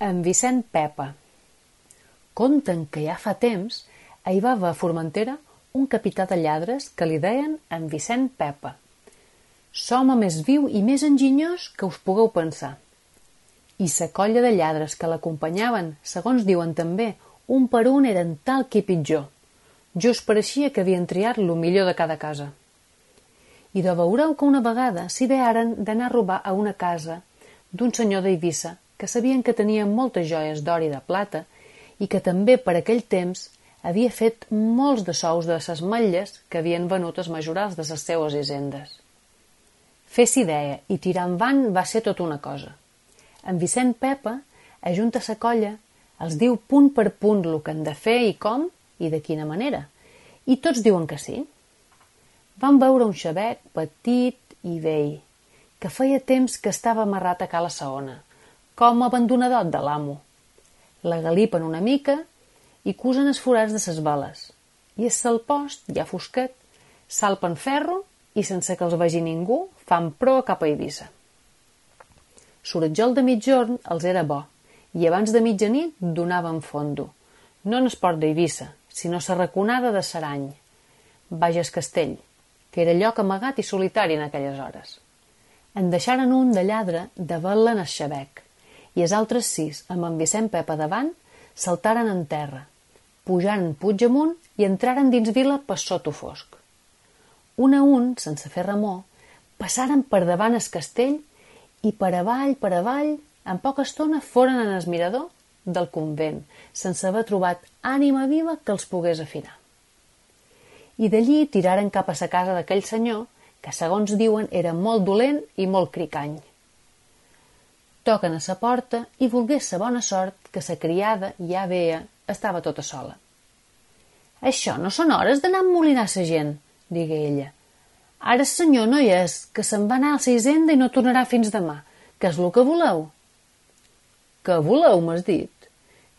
En Vicent Pepa. Conten que ja fa temps hi va haver a Formentera un capità de lladres que li deien en Vicent Pepa. L'home més viu i més enginyós que us pugueu pensar. I la colla de lladres que l'acompanyaven, segons diuen també, un per un eren tal que pitjor. Just pareixia que havien triat lo millor de cada casa. I de veureu que una vegada s'idearen d'anar a robar a una casa d'un senyor d'Eivissa que sabien que tenia moltes joies d'or i de plata i que també per aquell temps havia fet molts de sous de ses matlles que havien venut els majorals de les seues hisendes. Fer-s'hi idea i tirar endavant va ser tota una cosa. En Vicent Pepa ajunta sa colla, els diu punt per punt el que han de fer i com i de quina manera, i tots diuen que sí. Van veure un xabec petit i vell, que feia temps que estava amarrat a cala Saona, com abandonadot de l'amo. La galipen una mica i cusen els forats de ses bales, i a sal post, ja fosquet, salpen ferro i sense que els vegi ningú fan proa cap a Eivissa. L'oretjol de migjorn els era bo, i abans de mitjanit donaven fondo, no en el port d'Eivissa, sinó la raconada de Sarany, Bages Castell, que era lloc amagat i solitari en aquelles hores. En deixaren un de lladre de vetla en el xabec, i els altres 6, amb en Vicent Pepa davant, saltaren en terra, pujaren puig amunt i entraren dins vila per sota fosc. Un a un, sense fer remor, passaren per davant el castell i per avall, en poca estona foren en el mirador del convent, sense haver trobat ànima viva que els pogués afinar. I d'allí tiraren cap a la casa d'aquell senyor, que segons diuen era molt dolent i molt cricany. Toquen a la porta i volgués la bona sort que la criada ja veia estava tota sola. «Això no són hores d'anar a emmolinar la gent», digué ella. «Ara el senyor no hi és, que se'n va anar a la hisenda i no tornarà fins demà. Què és el que voleu?» «Què voleu, m'has dit?»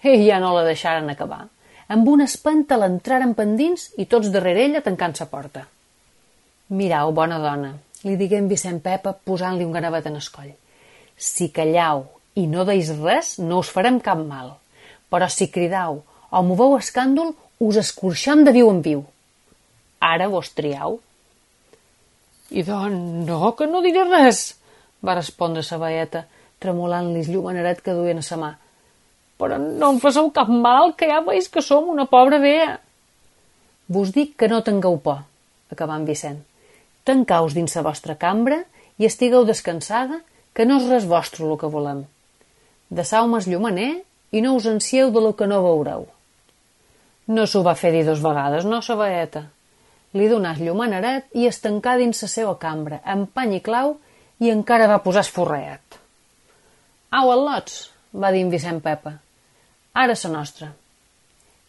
I ja no la deixaren acabar. Amb una espanta l'entraren pendins i tots darrere ella tancant la porta. «Mirau, bona dona», li digué en Vicent Pepa posant-li un ganavet en el coll. «Si callau i no deis res, no us farem cap mal. Però si cridau o moveu escàndol, us escorxam de viu en viu. Ara vos triau». «I doncs no, que no diré res», va respondre la veieta, tremolant-li el llumeneret que duien a la mà. «Però no em faceu cap mal, que ja veus que som una pobra vea». «Vos dic que no tingueu por», acabà en Vicent. «Tancaus dins la vostra cambra i estigueu descansada, que no és res vostre el que volem. Deixau-me el llumener i no us ansieu de lo que no veureu». No s'ho va fer dir 2 vegades, no, la veieta? Li donà el llumeneret i es tancà dins la seva cambra, amb pany i clau, i encara va posar esforreat. «Au, al·lots», va dir en Vicent Pepa. «Ara la nostra».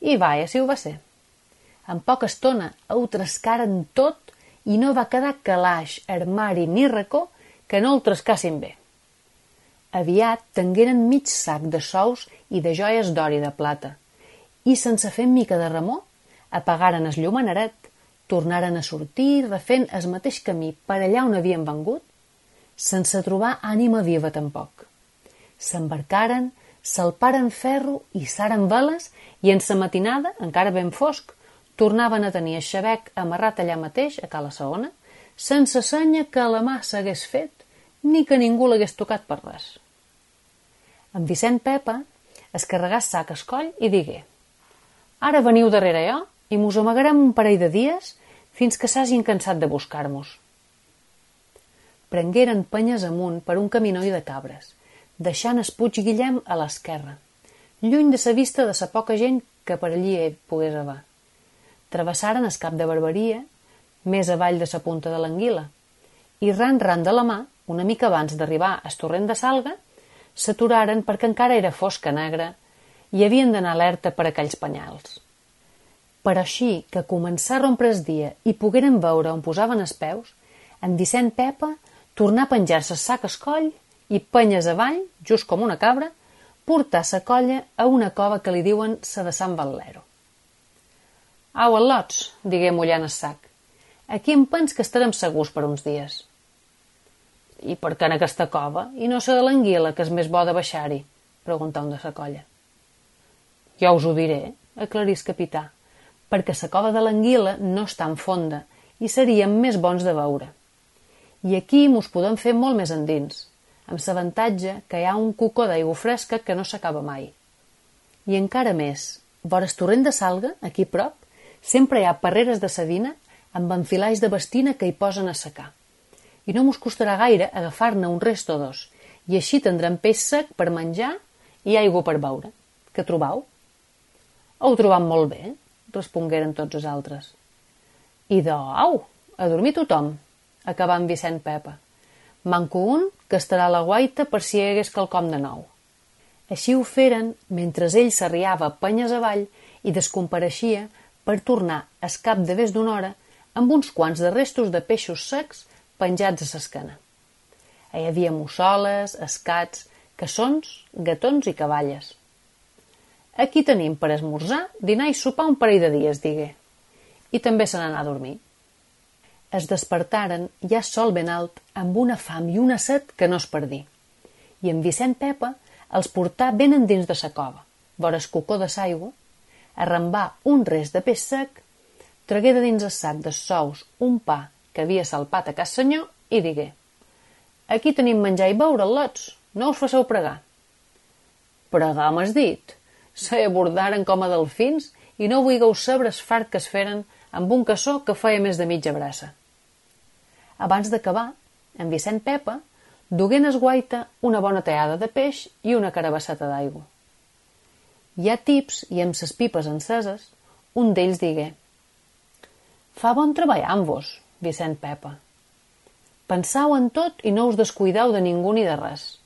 I vaja, si ho va ser. En poca estona ho trescaren tot i no va quedar calaix, armari ni racó que no el trescassin bé. Aviat tengueren mig sac de sous i de joies d'or i de plata i, sense fer mica de remor, apagaren el llumeneret, tornaren a sortir refent el mateix camí per allà on havien vengut, sense trobar ànima viva tampoc. S'embarcaren, salparen ferro i s'aren veles i en sa matinada, encara ben fosc, tornaven a tenir el xabec amarrat allà mateix, a cala Saona, sense senya que la mà s'hagués fet ni que ningú l'hagués tocat per res. En Vicent Pepa es carregà el sac al coll i digué: «Ara veniu darrere jo i mos amagarem un parell de dies fins que s'hagin cansat de buscar-mos». Prengueren penyes amunt per un caminoi de cabres, deixant el Puig Guillem a l'esquerra, lluny de la vista de la poca gent que per allí pogués haver. Travessaren el cap de Barberia, més avall de la punta de l'Anguila, i ran de la mà, una mica abans d'arribar al torrent de Salga, s'aturaren perquè encara era fosca negra i havien d'anar alerta per aquells penyals. Però així que començà a rompre el dia i pogueren veure on posaven els peus, en Vicent Pepa tornà a penjar-se el sac al coll i, penyes avall, just com una cabra, portar sa colla a una cova que li diuen sa de Sant Valero. «Au, al·lots», digué mullant el sac. «Aquí em pens que estarem segurs per uns dies». «I per què en aquesta cova? I no sé de l'Anguila, que és més bo de baixar-hi», preguntà un de la colla. Jo us ho diré, aclarís capità, perquè la cova de l'anguila no està en fonda i seríem més bons de veure. I aquí mos podem fer molt més endins, amb l'avantatge que hi ha un cocó d'aigua fresca que no s'acaba mai. I encara més, vora el torrent de Salga, aquí prop, sempre hi ha parreres de sedina amb enfilais de bastina que hi posen a secar. I no mos costarà gaire agafar-ne un rest o dos, i així tindrem peix sec per menjar i aigua per beure. Què trobau? Ho trobam molt bé, respongueren tots els altres. I au, a dormir tothom, acabà en Vicent Pepa. Manco un que estarà a la guaita per si hi hagués quelcom de nou. Així ho feren mentre ell s'arriava penyes avall i descompareixia per tornar al cap de més d'una hora amb uns quants de restos de peixos secs penjats a l'esquena. Hi havia mussoles, escats, caçons, gatons i cavalles. Aquí tenim per esmorzar, dinar i sopar un parell de dies, digué. I també se n'anà a dormir. Es despertaren ja sol ben alt, amb una fam i una set que no es perdí. I en Vicent Pepa els portà ben endins de sa cova, vora el cocó de l'aigua, arrambà un rest de peix sec, tragué de dins el sac de sous un pa que havia salpat a cas senyor i digué: «Aquí tenim menjar i beure, al·lots, no us faceu pregar». «Pregar m'has dit? Se abordaren com a delfins i no vulgueu saber es fart que es feren amb un caçó que feia més de mitja braça». Abans d'acabar, en Vicent Pepa dugué en esguaita una bona teada de peix i una carabasseta d'aigua. Ja tips i amb ses pipes enceses, un d'ells digué: «Fa bon treballar amb vos, Vicent Pepa. Pensau en tot i no us descuidau de ningú ni de res.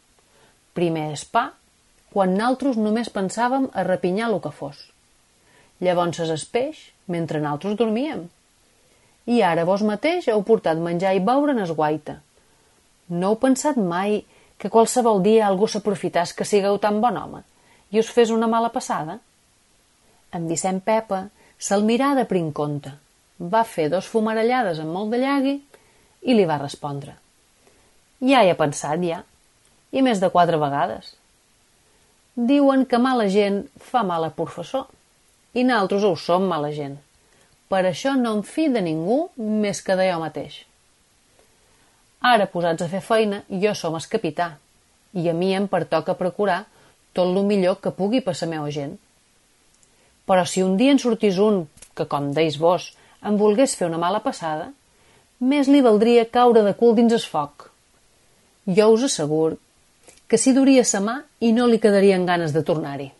Primer es pa, quan naltros només pensàvem a repinyar lo que fos. Llavors es peix, mentre naltros dormíem. I ara vos mateix heu portat menjar i beure en esguaita. No heu pensat mai que qualsevol dia algú s'aprofitàs que sigueu tan bon home i us fes una mala passada?» En Vicent Pepa se'l mirà de prim compte, va fer dos fumarellades amb molt de llagui i li va respondre: «Ja hi he pensat, ja, i més de 4 vegades. Diuen que mala gent fa mal a professor, i naltros ho som mala gent. Per això no em fi de ningú més que de jo mateix. Ara, posats a fer feina, jo som el capità, i a mi em pertoca procurar tot lo millor que pugui per la meva gent. Però si un dia en sortís un que, com deis vos, em volgués fer una mala passada, més li valdria caure de cul dins el foc. Jo us asseguro que s'hi duria sa mà i no li quedarien ganes de tornar-hi».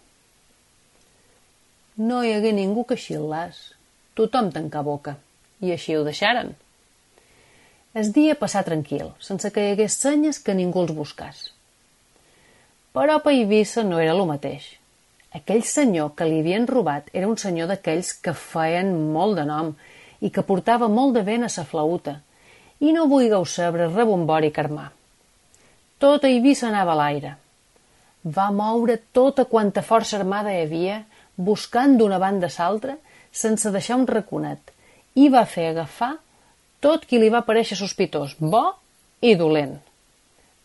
No hi hagué ningú que xil·làs. Tothom tancà boca, i així ho deixaren. El dia passà tranquil, sense que hi hagués senyes que ningú els buscàs. Però a Eivissa no era lo mateix. Aquell senyor que li havien robat era un senyor d'aquells que feien molt de nom i que portava molt de vent a sa flauta, i no vulgueu saber rebombori i carmar. Tot Eivissa anava a l'aire. Va moure tota quanta força armada hi havia, buscant d'una banda a l'altra, sense deixar un raconet, i va fer agafar tot qui li va parèixer sospitós, bo i dolent.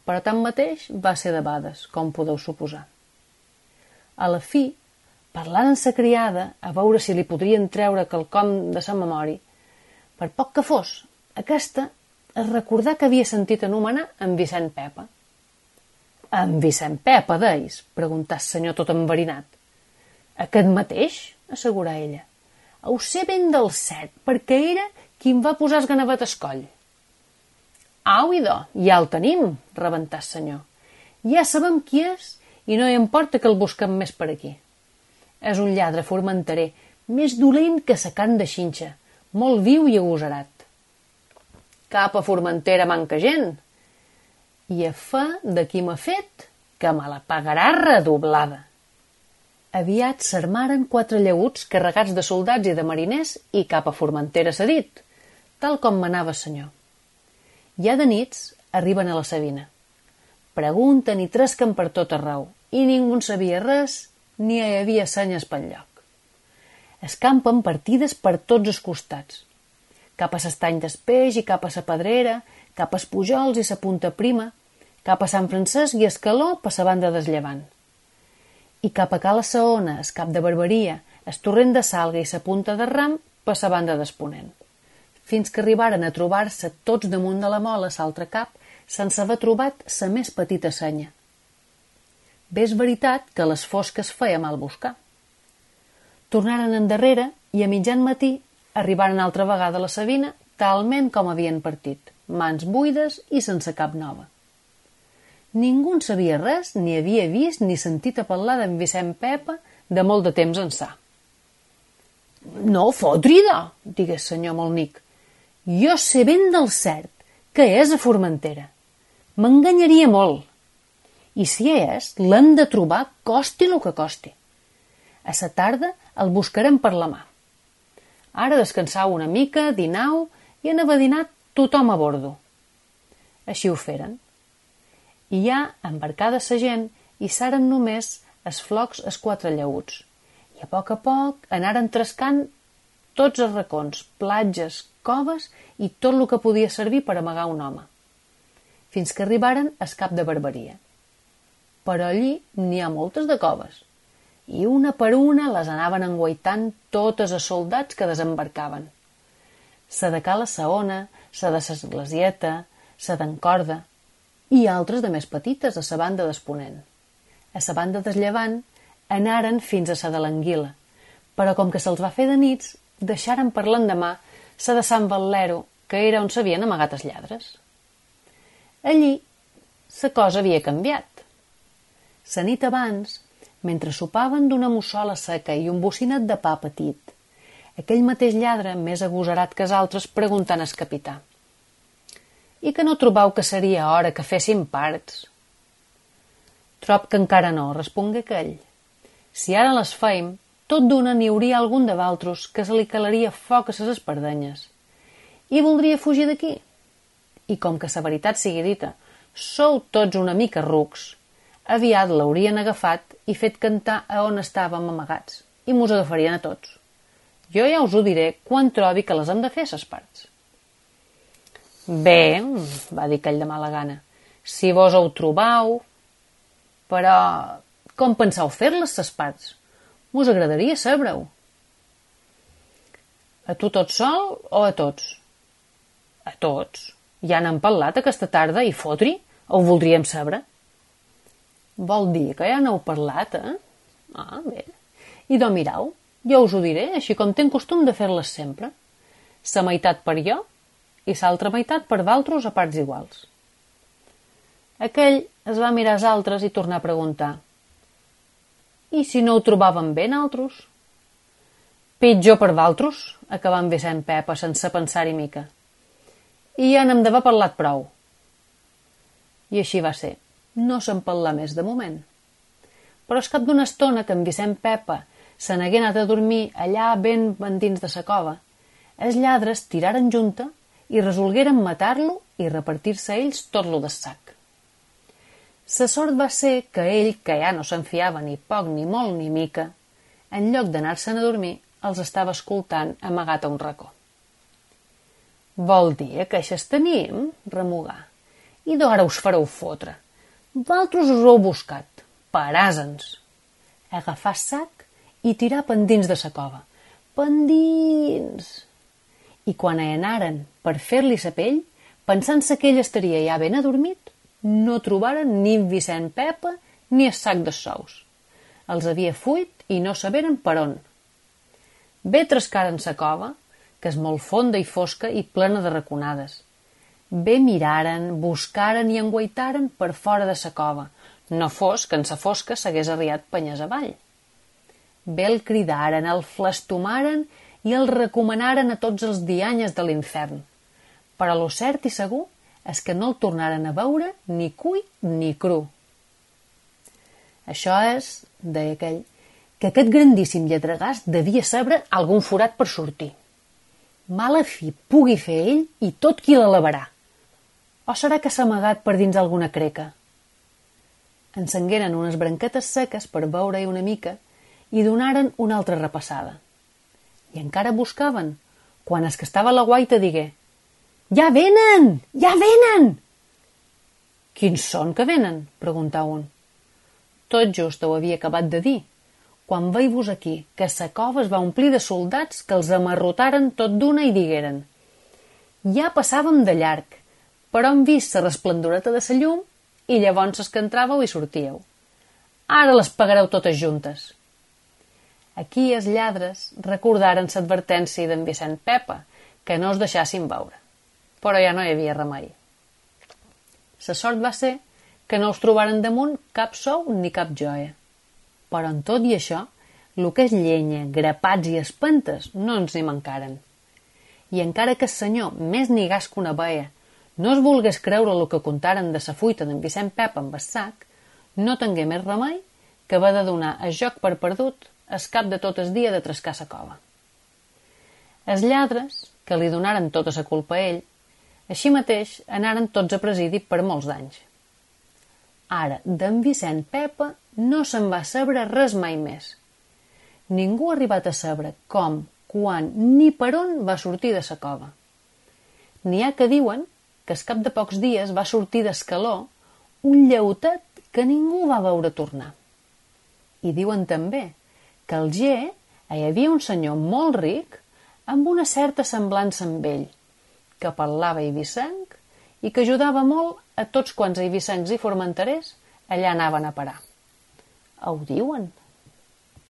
Però tanmateix va ser debades, com podeu suposar. A la fi, parlant amb sa criada, a veure si li podrien treure quelcom de sa memòria, per poc que fos, aquesta es recordà que havia sentit anomenar en Vicent Pepa. «En Vicent Pepa, deis?», preguntà el senyor tot enverinat. «Aquest mateix?», assegurà ella. «Ho sé ben del cert, perquè era qui em va posar el ganavet al coll». «Au, idò, ja el tenim», rebentà el senyor. «Ja sabem qui és i no hi importa que el busquem més per aquí. És un lladre formenterer, més dolent que sa carn de xinxa, molt viu i agosarat. Cap a Formentera manca gent. I a fa de qui m'ha fet, que me la pagarà redoblada». Aviat s'armaren 4 llaüts carregats de soldats i de mariners i cap a Formentera s'ha dit, tal com manava el senyor. Ja de nits arriben a la Sabina. Pregunten i tresquen per tot arreu, i ningú en sabia res, ni hi havia senyes pel lloc. Escampen partides per tots els costats. Cap a l'estany d'Espeix i cap a la Pedrera, cap a Pujols i la Punta Prima, cap a Sant Francesc i Escaló per la banda del Llevant. i cap a Cala Saona, es cap de Barberia, es torrent de Salga i sa punta de Ram, per sa banda d'Exponent, fins que arribaren a trobar-se tots damunt de la mola s'altre cap, sense haver trobat sa més petita senya. Bé és veritat que a les fosques feia mal buscar. Tornaren endarrere i a mitjan matí arribaren altra vegada a la Sabina, talment com havien partit, mans buides i sense cap nova. Ningú en sabia res, ni havia vist ni sentit a parlar d'en Vicent Pepa de molt de temps ençà. No, fotrida, digués senyor Molnic. Jo sé ben del cert que és a Formentera. M'enganyaria molt. I si és, l'hem de trobar costi el que costi. A sa tarda el buscarem per la mà. Ara descansau una mica, dinau i en haver dinat tothom a bordo. Així ho feren. I ja embarcada sa gent i s'aren només es flocs es quatre llauts. I a poc anaren trescant tots els racons, platges, coves i tot el que podia servir per amagar un home. Fins que arribaren al cap de Barberia. Però allí n'hi ha moltes de coves. I una per una les anaven enguaitant totes els soldats que desembarcaven. Sa de Cala Saona, sa de s'Esglesieta, sa d'en Corda, i altres de més petites a sa banda d'Exponent. A sa banda del Llevant anaren fins a sa de l'Anguila, però com que se'ls va fer de nits, deixaren per l'endemà sa de Sant Valero, que era on s'havien amagat els lladres. Allí sa cosa havia canviat. Sa nit abans, mentre sopaven d'una mussola seca i un bocinat de pa petit, aquell mateix lladre, més agosarat que els altres, preguntant al capità: «I que no trobau que seria hora que fessin parts?» «Trob que encara no», respongué aquell. «Si ara les feim, tot d'una n'hi hauria algun de valtros que se li calaria foc a ses espardenyes. I voldria fugir d'aquí. I com que sa veritat sigui dita, sou tots una mica rucs, aviat l'haurien agafat i fet cantar a on estàvem amagats, i mos agafarien a tots. Jo ja us ho diré quan trobi que les hem de fer, ses parts». «Bé», va dir aquell de mala gana, «si vos ho trobau, però com pensau fer-les, ses parts? Mos agradaria saber-ho». «A tu tot sol o a tots?» «A tots. Ja n'han parlat aquesta tarda i fotri, ho voldríem saber». «Vol dir que ja n'heu parlat, eh?» «Ah, bé. I do mirau, jo us ho diré, així com tenc costum de fer-les sempre. Sa meitat per jo i l'altra meitat per valtros a parts iguals». Aquell es va mirar als altres i tornar a preguntar: «I si no ho trobaven bé, naltros?» «Pitjor per valtros», acabà amb Vicent Pepa sense pensar-hi mica. «I ja n'hem d'haver parlat prou». I així va ser. No se'n parlà més de moment. Però al cap d'una estona que en Vicent Pepa se n'hagué anat a dormir allà ben endins de sa cova, els lladres tiraren junta i resolgueren matar-lo i repartir-se ells tot lo del sac. Sa sort va ser que ell, que ja no se'n fiava ni poc, ni molt, ni mica, en lloc d'anar-se'n a dormir, els estava escoltant amagat a un racó. «Vol dir que eixes tenim?» remugà. «I d'ara us fareu fotre. Valtros us ho heu buscat. Paràsens!» Agafar sac i tirar pendins de sa cova. Pendins! I quan hi anaren per fer-li sa pell, pensant-se que ell estaria ja ben adormit, no trobaren ni Vicent Pepa ni el sac de sous. Els havia fuit i no saberen per on. Bé trescaren sa cova, que és molt fonda i fosca i plena de raconades. Bé miraren, buscaren i enguaitaren per fora de sa cova, no fos que en sa fosca s'hagués arriat penyes avall. Bé el cridaren, el flastomaren i el recomanaren a tots els dianyes de l'infern. Però lo cert i segur és que no el tornaren a veure ni cuit ni cru. Això és, deia aquell, que aquest grandíssim lletregàs devia saber algun forat per sortir. Mala fi pugui fer ell i tot qui l'alabarà. O serà que s'ha amagat per dins alguna creca? Encengueren unes branquetes seques per veure-hi una mica i donaren una altra repassada. I encara buscaven, quan es que estava a la guaita digué: «Ja venen! Ja venen!» «Quins són que venen?», preguntà un. Tot just ho havia acabat de dir, quan veig-vos aquí, que sa cova es va omplir de soldats que els amarrotaren tot d'una i digueren: ja passàvem de llarg, però hem vist la resplendoreta de sa llum i llavors es que entràveu i sortíeu. Ara les pagareu totes juntes. Aquí els lladres recordaren l'advertència d'en Vicent Pepa, que no es deixassin veure. Però ja no hi havia remei. La sort va ser que no us trobaren damunt cap sou ni cap joia. Però en tot i això, el que és llenya, grapats i espentes no ens n'hi mancaren. I encara que el senyor, més nigàs que una veia, no es volgués creure el que contaren de sa fuita d'en Vicent Pepa amb el sac, no tingué més remei que va de donar el joc per perdut el cap de tot el dia de trescar sa cova. Els lladres, que li donaren tota sa culpa a ell, així mateix anaren tots a presidi per molts d'anys. Ara, d'en Vicent Pepa no se'n va saber res mai més. Ningú ha arribat a saber com, quan ni per on va sortir de sa cova. N'hi ha que diuen que al cap de pocs dies va sortir d'escaló un lleutet que ningú va veure tornar. I diuen també que al Ger hi havia un senyor molt ric amb una certa semblança amb ell, que parlava eivissenc i que ajudava molt a tots quants eivissencs i formenterers allà anaven a parar. Ho diuen.